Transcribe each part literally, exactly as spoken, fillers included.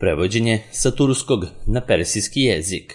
Prevođenje sa turskog na persijski jezik.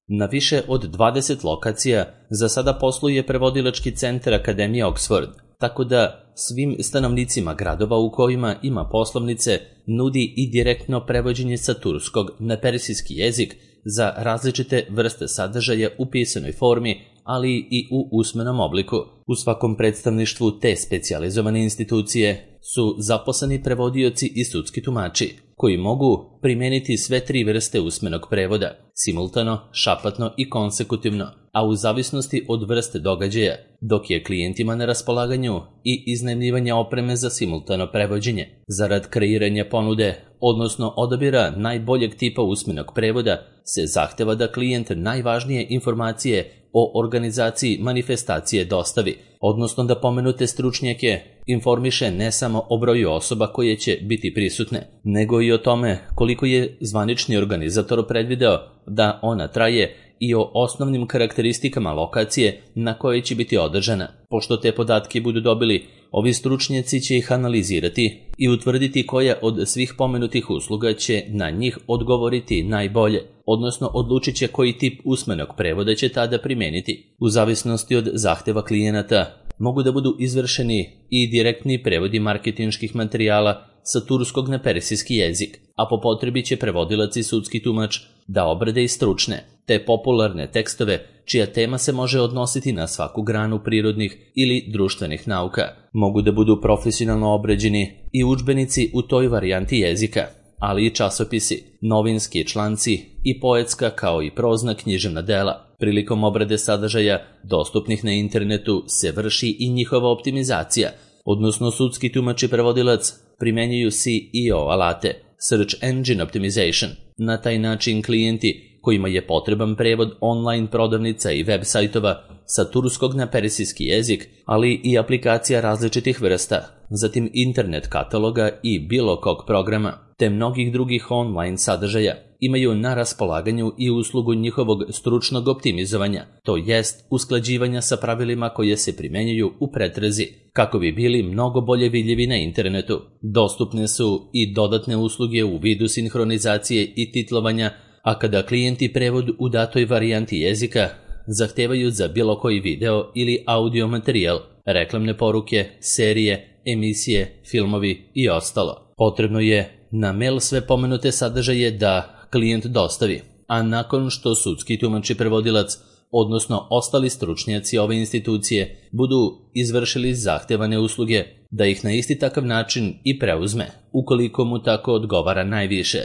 Na više od dvadeset lokacija za sada posluje prevodilački centar Akademije Oxford, tako da svim stanovnicima gradova u kojima ima poslovnice nudi i direktno prevođenje sa turskog na persijski jezik za različite vrste sadržaja u pisanoj formi, ali i u usmenom obliku. U svakom predstavništvu te specijalizovane institucije su zaposleni prevodioci i sudski tumači, koji mogu primeniti sve tri vrste usmenog prevoda, simultano, šapatno i konsekutivno, a u zavisnosti od vrste događaja, dok je klijentima na raspolaganju i iznajmljivanje opreme za simultano prevođenje. Zarad kreiranja ponude, odnosno odabira najboljeg tipa usmenog prevoda, se zahteva da klijent najvažnije informacije o organizaciji manifestacije dostavi, odnosno da pomenute stručnjake informiše ne samo o broju osoba koje će biti prisutne, nego i o tome koliko je zvanični organizator predvideo da ona traje i o osnovnim karakteristikama lokacije na kojoj će biti održana. Pošto te podatke budu dobili, ovi stručnjaci će ih analizirati i utvrditi koja od svih pomenutih usluga će na njih odgovoriti najbolje, odnosno odlučit će koji tip usmenog prevoda će tada primeniti. U zavisnosti od zahteva klijenata mogu da budu izvršeni i direktni prevodi marketinških materijala sa turskog na persijski jezik, a po potrebi će prevodilac i sudski tumač da obrade i stručne, te popularne tekstove čija tema se može odnositi na svaku granu prirodnih ili društvenih nauka. Mogu da budu profesionalno obrađeni i udžbenici u toj varijanti jezika, ali i časopisi, novinski članci i poetska kao i prozna književna dela. Prilikom obrade sadržaja dostupnih na internetu se vrši i njihova optimizacija, odnosno sudski tumač i prevodilac primenjuju S E O alate, Search Engine Optimization. Na taj način klijenti kojima je potreban prevod online prodavnica i web sajtova sa turskog na persijski jezik, ali i aplikacija različitih vrsta, zatim internet kataloga i bilo kog programa, te mnogih drugih online sadržaja, imaju na raspolaganju i uslugu njihovog stručnog optimizovanja, to jest usklađivanja sa pravilima koje se primenjuju u pretrazi, kako bi bili mnogo bolje vidljivi na internetu. Dostupne su i dodatne usluge u vidu sinhronizacije i titlovanja, a kada klijenti prevod u datoj varijanti jezika zahtevaju za bilo koji video ili audio materijal, reklamne poruke, serije, emisije, filmovi i ostalo, potrebno je na mail sve pomenute sadržaje da klijent dostavi, a nakon što sudski tumač i prevodilac, odnosno ostali stručnjaci ove institucije, budu izvršili zahtevane usluge, da ih na isti takav način i preuzme, ukoliko mu tako odgovara najviše.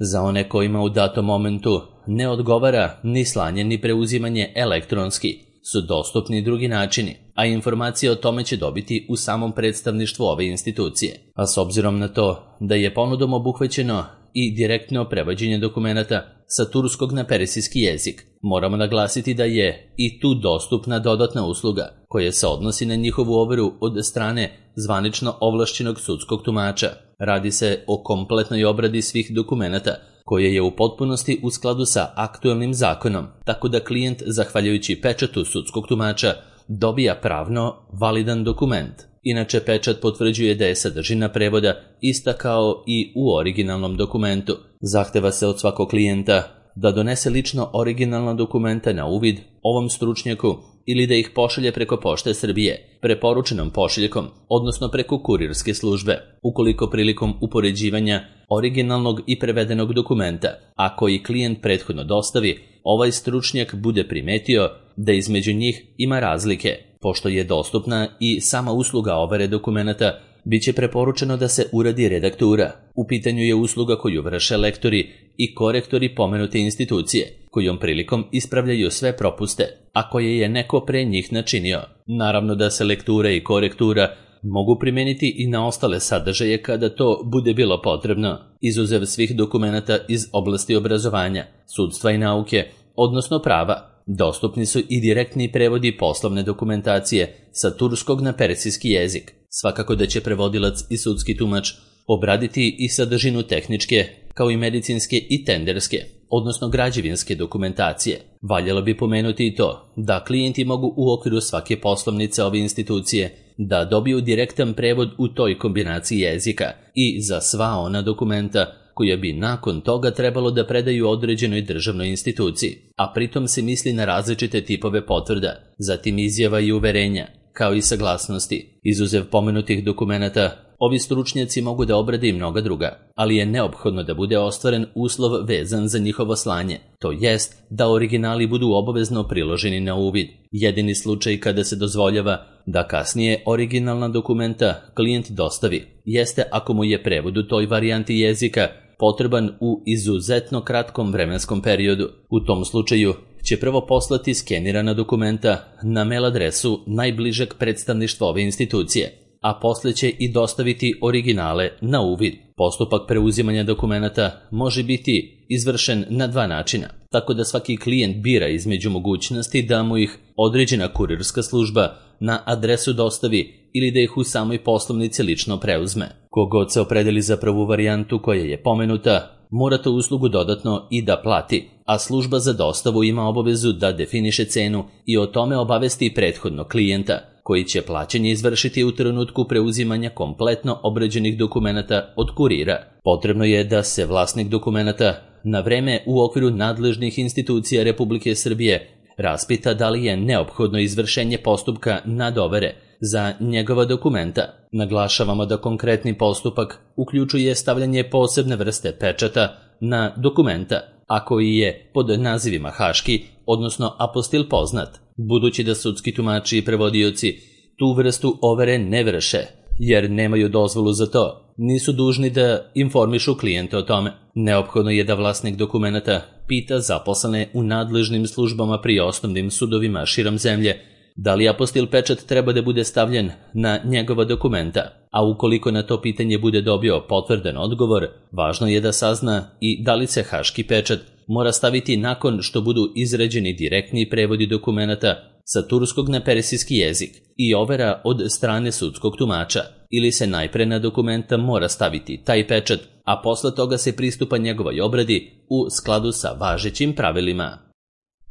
Za one kojima u datom momentu ne odgovara ni slanje ni preuzimanje elektronski, su dostupni drugi načini, a informacije o tome će dobiti u samom predstavništvu ove institucije. A s obzirom na to da je ponudom obuhvaćeno i direktno prevođenje dokumenata sa turskog na persijski jezik, moramo naglasiti da je i tu dostupna dodatna usluga koja se odnosi na njihovu overu od strane zvanično ovlašćenog sudskog tumača. Radi se o kompletnoj obradi svih dokumenata koje je u potpunosti u skladu sa aktuelnim zakonom, tako da klijent, zahvaljujući pečatu sudskog tumača, dobija pravno validan dokument. Inače, pečat potvrđuje da je sadržina prevoda ista kao i u originalnom dokumentu. Zahteva se od svakog klijenta da donese lično originalna dokumenta na uvid ovom stručnjaku ili da ih pošalje preko Pošte Srbije, preporučenom pošiljkom, odnosno preko kurirske službe, ukoliko prilikom upoređivanja originalnog i prevedenog dokumenta, a koji klijent prethodno dostavi, ovaj stručnjak bude primetio da između njih ima razlike. Pošto je dostupna i sama usluga overe dokumenata, bit će preporučeno da se uradi redaktura. U pitanju je usluga koju vrše lektori i korektori pomenute institucije, kojom prilikom ispravljaju sve propuste, a koje je neko pre njih načinio. Naravno da se lektura i korektura mogu primeniti i na ostale sadržaje kada to bude bilo potrebno, izuzev svih dokumenata iz oblasti obrazovanja, sudstva i nauke, odnosno prava. Dostupni su i direktni prevodi poslovne dokumentacije sa turskog na persijski jezik. Svakako da će prevodilac i sudski tumač obraditi i sadržinu tehničke, kao i medicinske i tenderske, odnosno građevinske dokumentacije. Valjalo bi pomenuti i to da klijenti mogu u okviru svake poslovnice ove institucije da dobiju direktan prevod u toj kombinaciji jezika i za sva ona dokumenta koja bi nakon toga trebalo da predaju određenoj državnoj instituciji, a pritom se misli na različite tipove potvrda, zatim izjava i uverenja, kao i saglasnosti. Izuzev pomenutih dokumenata, ovi stručnjaci mogu da obrade i mnoga druga, ali je neophodno da bude ostvaren uslov vezan za njihovo slanje, to jest da originali budu obavezno priloženi na uvid. Jedini slučaj kada se dozvoljava da kasnije originalna dokumenta klijent dostavi jeste ako mu je prevod u toj varijanti jezika potreban u izuzetno kratkom vremenskom periodu. U tom slučaju će prvo poslati skenirana dokumenta na mail adresu najbližeg predstavništva ove institucije, a posle će i dostaviti originale na uvid. Postupak preuzimanja dokumenata može biti izvršen na dva načina, tako da svaki klijent bira između mogućnosti da mu ih određena kurirska služba na adresu dostavi ili da ih u samoj poslovnici lično preuzme. Kogod se opredeli za prvu varijantu koja je pomenuta, mora tu uslugu dodatno i da plati, a služba za dostavu ima obavezu da definiše cenu i o tome obavesti prethodno klijenta, koji će plaćanje izvršiti u trenutku preuzimanja kompletno obrađenih dokumenata od kurira. Potrebno je da se vlasnik dokumenata na vreme u okviru nadležnih institucija Republike Srbije raspita da li je neophodno izvršenje postupka nadovere za njegova dokumenta. Naglašavamo da konkretni postupak uključuje stavljanje posebne vrste pečata na dokumenta, a koji je pod nazivima haški, odnosno apostil poznat, budući da sudski tumači i prevodioci tu vrstu overe ne vrše, jer nemaju dozvolu za to. Nisu dužni da informišu klijente o tome. Neophodno je da vlasnik dokumenata pita zaposlene u nadležnim službama pri osnovnim sudovima širom zemlje da li apostil pečat treba da bude stavljen na njegova dokumenta, a ukoliko na to pitanje bude dobio potvrdan odgovor, važno je da sazna i da li se haški pečat mora staviti nakon što budu izrađeni direktni prevodi dokumenata sa turskog na persijski jezik i overa od strane sudskog tumača, ili se najpre na dokumenta mora staviti taj pečat, a posle toga se pristupa njegovoj obradi u skladu sa važećim pravilima.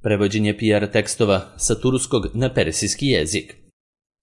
Prevođenje P R tekstova sa turskog na persijski jezik.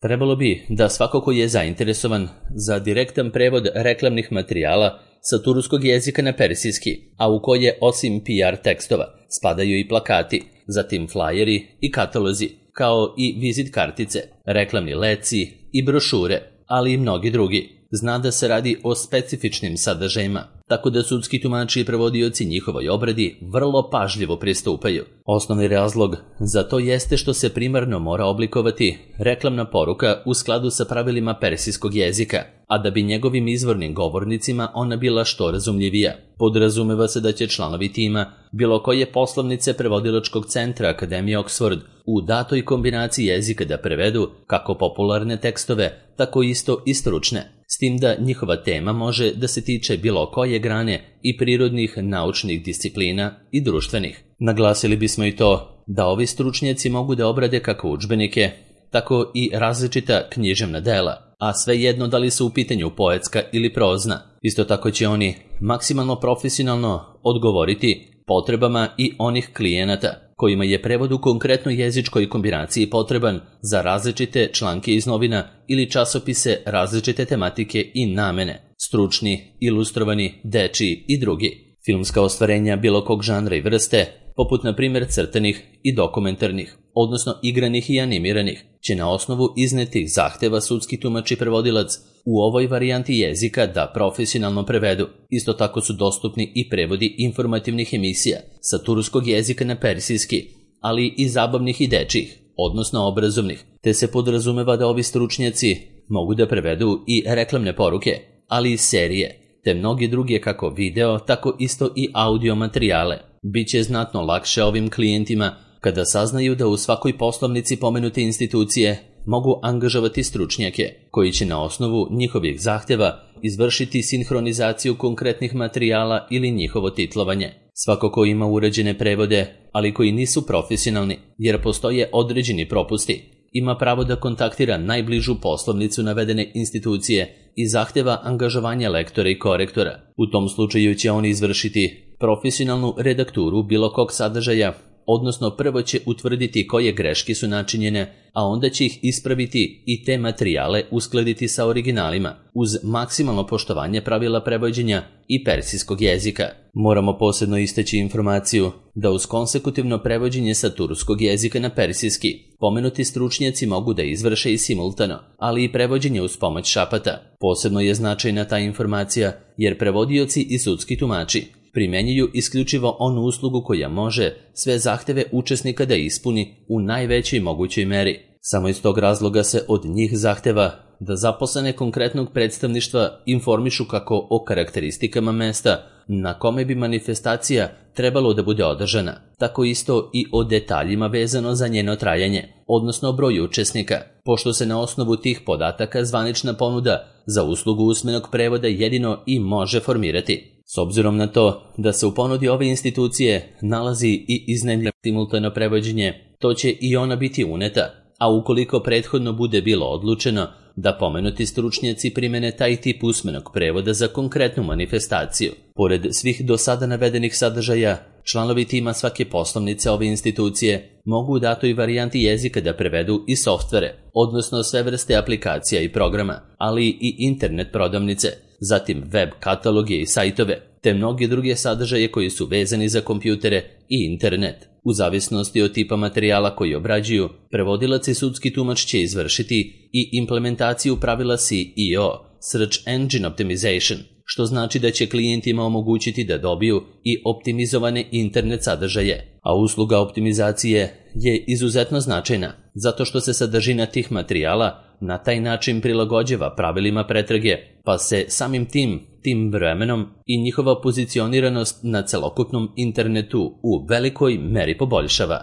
Trebalo bi da svako ko je zainteresovan za direktan prevod reklamnih materijala sa turskog jezika na persijski, a u koje osim P R tekstova spadaju i plakati, zatim flajeri i katalozi, kao i vizit kartice, reklamni leci i brošure, ali i mnogi drugi. Zna da se radi o specifičnim sadržajima, tako da sudski tumači i prevodioci njihovoj obradi vrlo pažljivo pristupaju. Osnovni razlog za to jeste što se primarno mora oblikovati reklamna poruka u skladu sa pravilima persijskog jezika, a da bi njegovim izvornim govornicima ona bila što razumljivija. Podrazumeva se da će članovi tima bilo koje poslovnice prevodilačkog centra Akademije Oxford u datoj kombinaciji jezika da prevedu kako popularne tekstove, tako isto i stručne, s tim da njihova tema može da se tiče bilo koje grane i prirodnih naučnih disciplina i društvenih. Naglasili bismo i to da ovi stručnjaci mogu da obrade kako udžbenike, tako i različita književna dela, a svejedno da li su u pitanju poetska ili prozna. Isto tako će oni maksimalno profesionalno odgovoriti potrebama i onih klijenata kojima je prevod u konkretnoj jezičkoj kombinaciji potreban za različite članke iz novina ili časopise različite tematike i namene, stručni, ilustrovani, dečiji i drugi. Filmska ostvarenja bilo kog žanra i vrste, poput na primjer crtanih i dokumentarnih, odnosno igranih i animiranih, će na osnovu iznetih zahteva sudski tumač i prevodilac u ovoj varijanti jezika da profesionalno prevedu. Isto tako su dostupni i prevodi informativnih emisija sa turskog jezika na persijski, ali i zabavnih i dečjih, odnosno obrazovnih, te se podrazumeva da ovi stručnjaci mogu da prevedu i reklamne poruke, ali i serije, te mnogi druge kako video, tako isto i audio materijale. Biće znatno lakše ovim klijentima kada saznaju da u svakoj poslovnici pomenute institucije mogu angažovati stručnjake koji će na osnovu njihovih zahtjeva izvršiti sinhronizaciju konkretnih materijala ili njihovo titlovanje. Svako ko ima uređene prevode, ali koji nisu profesionalni jer postoje određeni propusti, ima pravo da kontaktira najbližu poslovnicu navedene institucije i zahtjeva angažovanje lektora i korektora. U tom slučaju će oni izvršiti profesionalnu redakturu bilo kog sadržaja odnosno prvo će utvrditi koje greške su načinjene, a onda će ih ispraviti i te materijale uskladiti sa originalima, uz maksimalno poštovanje pravila prevođenja i persijskog jezika. Moramo posebno istaći informaciju da uz konsekutivno prevođenje sa turskog jezika na persijski, pomenuti stručnjaci mogu da izvrše i simultano, ali i prevođenje uz pomoć šapata. Posebno je značajna ta informacija jer prevodioci i sudski tumači primjenjuju isključivo onu uslugu koja može sve zahteve učesnika da ispuni u najvećoj mogućoj meri. Samo iz tog razloga se od njih zahteva da zaposlene konkretnog predstavništva informišu kako o karakteristikama mesta na kome bi manifestacija trebalo da bude održana, tako isto i o detaljima vezano za njeno trajanje, odnosno broju učesnika, pošto se na osnovu tih podataka zvanična ponuda za uslugu usmenog prevoda jedino i može formirati. S obzirom na to da se u ponudi ove institucije nalazi i iznajmljeno simultano prevođenje, to će i ona biti uneta, a ukoliko prethodno bude bilo odlučeno da pomenuti stručnjaci primene taj tip usmenog prevoda za konkretnu manifestaciju. Pored svih do sada navedenih sadržaja, članovi tima svake poslovnice ove institucije mogu u datoj varijanti jezika da prevedu i softvere, odnosno sve vrste aplikacija i programa, ali i internet prodavnice, zatim web kataloge i sajtove, te mnoge druge sadržaje koji su vezani za kompjutere i internet. U zavisnosti od tipa materijala koji obrađuju, prevodilac i sudski tumač će izvršiti i implementaciju pravila S E O, Search Engine Optimization, što znači da će klijentima omogućiti da dobiju i optimizovane internet sadržaje, a usluga optimizacije je izuzetno značajna, zato što se sadržina tih materijala na taj način prilagođava pravilima pretrage, pa se samim tim, tim vremenom i njihova pozicioniranost na celokupnom internetu u velikoj meri poboljšava.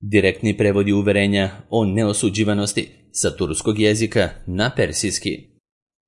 Direktni prevodi uverenja o neosuđivanosti sa turskog jezika na persijski.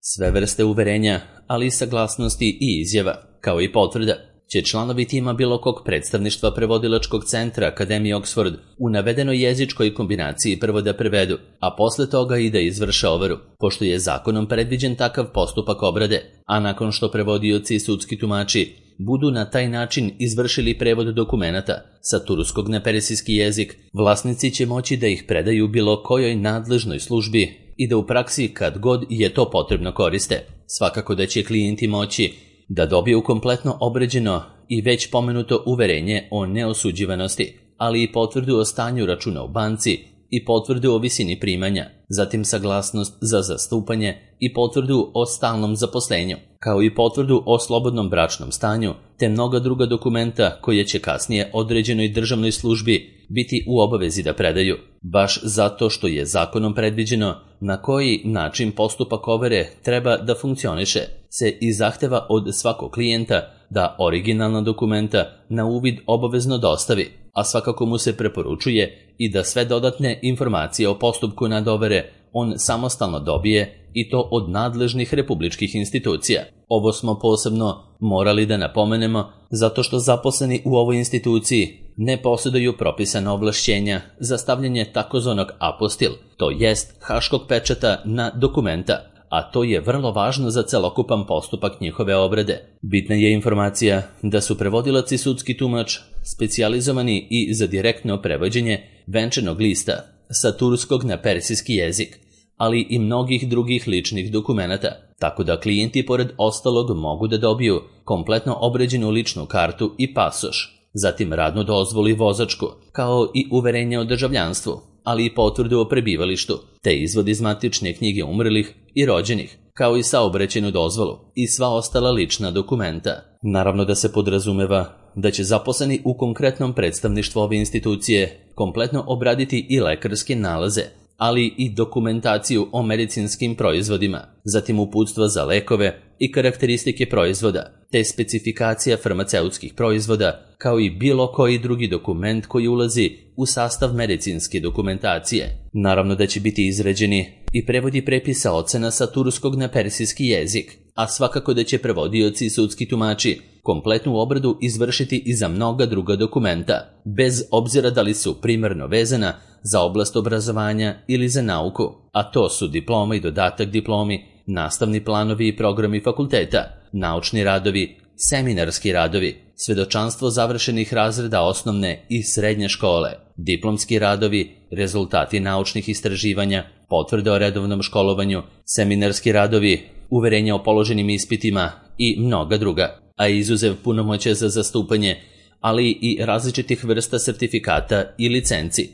Sve vrste uverenja, ali i saglasnosti i izjava, kao i potvrda, će članovi tima bilo kog predstavništva prevodilačkog centra Akademije Oxford u navedenoj jezičkoj kombinaciji prvo da prevedu, a posle toga i da izvrše overu, pošto je zakonom predviđen takav postupak obrade, a nakon što prevodioci i sudski tumači budu na taj način izvršili prevod dokumenata sa turskog na persijski jezik, vlasnici će moći da ih predaju bilo kojoj nadležnoj službi i da u praksi kad god je to potrebno koriste. Svakako da će klijenti moći da dobiju kompletno obrađeno i već pomenuto uverenje o neosuđivanosti, ali i potvrdu o stanju računa u banci i potvrdu o visini primanja, zatim saglasnost za zastupanje i potvrdu o stalnom zaposlenju, kao i potvrdu o slobodnom bračnom stanju, te mnoga druga dokumenta koje će kasnije određenoj državnoj službi biti u obavezi da predaju, baš zato što je zakonom predviđeno na koji način postupak overe treba da funkcioniše, se i zahteva od svakog klijenta da originalna dokumenta na uvid obavezno dostavi, a svakako mu se preporučuje i da sve dodatne informacije o postupku nadovere on samostalno dobije i to od nadležnih republičkih institucija. Ovo smo posebno morali da napomenemo zato što zaposleni u ovoj instituciji ne posjeduju propisana ovlašćenja za stavljanje takozvanog apostil, to jest haškog pečata na dokumenta, a to je vrlo važno za celokupan postupak njihove obrade. Bitna je informacija da su prevodilac i sudski tumač specijalizovani i za direktno prevođenje venčanog lista sa turskog na persijski jezik, ali i mnogih drugih ličnih dokumenata, tako da klijenti pored ostalog mogu da dobiju kompletno obrađenu ličnu kartu i pasoš, zatim radnu dozvolu i vozačku, kao i uverenje o državljanstvu, ali i potvrdu o prebivalištu, te izvod iz matične knjige umrlih i rođenih, kao i saobraćajnu dozvolu i sva ostala lična dokumenta. Naravno da se podrazumeva da će zaposleni u konkretnom predstavništvu ove institucije kompletno obraditi i lekarske nalaze, ali i dokumentaciju o medicinskim proizvodima, zatim uputstva za lekove i karakteristike proizvoda, te specifikacija farmaceutskih proizvoda, kao i bilo koji drugi dokument koji ulazi u sastav medicinske dokumentacije. Naravno da će biti izrađeni i prevodi prepisa ocena sa turskog na persijski jezik, a svakako da će prevodioci i sudski tumači kompletnu obradu izvršiti i za mnoga druga dokumenta, bez obzira da li su primarno vezana za oblast obrazovanja ili za nauku, a to su diploma i dodatak diplomi, nastavni planovi i programi fakulteta, naučni radovi, seminarski radovi, svedočanstvo završenih razreda osnovne i srednje škole, diplomski radovi, rezultati naučnih istraživanja, potvrde o redovnom školovanju, seminarski radovi, uverenja o položenim ispitima i mnoga druga, a izuzev punomoćja za zastupanje, ali i različitih vrsta sertifikata i licenci.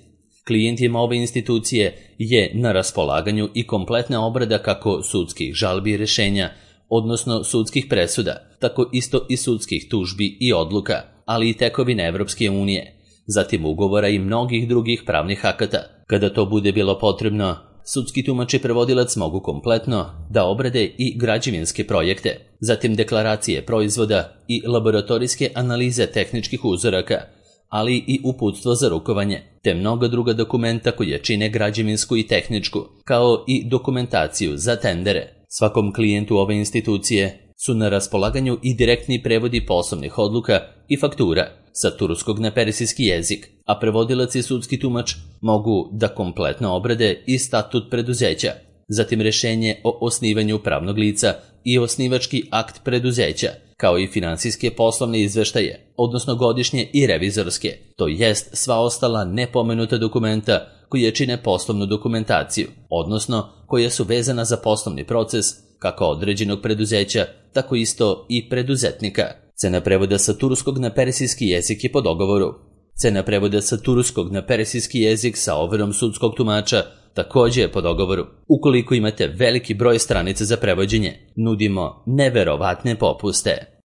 Klijentima ove institucije je na raspolaganju i kompletna obrada kako sudskih žalbi i rešenja, odnosno sudskih presuda, tako isto i sudskih tužbi i odluka, ali i tekovine Evropske unije, zatim ugovora i mnogih drugih pravnih akata. Kada to bude bilo potrebno, sudski tumač i prevodilac mogu kompletno da obrade i građevinske projekte, zatim deklaracije proizvoda i laboratorijske analize tehničkih uzoraka, ali i uputstvo za rukovanje, te mnoga druga dokumenta koje čine građevinsku i tehničku, kao i dokumentaciju za tendere. Svakom klijentu ove institucije su na raspolaganju i direktni prevodi poslovnih odluka i faktura sa turskog na persijski jezik, a prevodilac i sudski tumač mogu da kompletno obrade i statut preduzeća, zatim rešenje o osnivanju pravnog lica i osnivački akt preduzeća, kao i finansijske poslovne izveštaje, odnosno godišnje i revizorske, to jest sva ostala nepomenuta dokumenta koje čine poslovnu dokumentaciju, odnosno koje su vezana za poslovni proces kako određenog preduzeća, tako isto i preduzetnika. Cena prevoda sa turskog na persijski jezik je po dogovoru. Cena prevoda sa turskog na persijski jezik sa overom sudskog tumača također je po dogovoru. Ukoliko imate veliki broj stranica za prevođenje, nudimo neverovatne popuste.